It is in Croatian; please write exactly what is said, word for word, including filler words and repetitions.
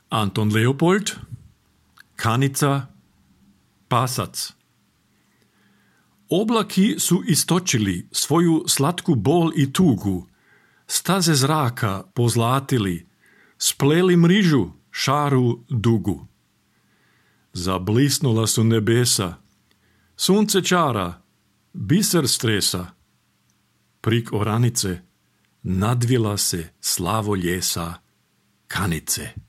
Anton Leopold, Kanica, Pasac. Oblaki su istočili svoju slatku bol i tugu, staze zraka pozlatili, spleli mrižu šaru dugu. Zablisnula su nebesa, sunce čara, biser stresa. Prik oranice nadvila se slavo ljesa Kanice.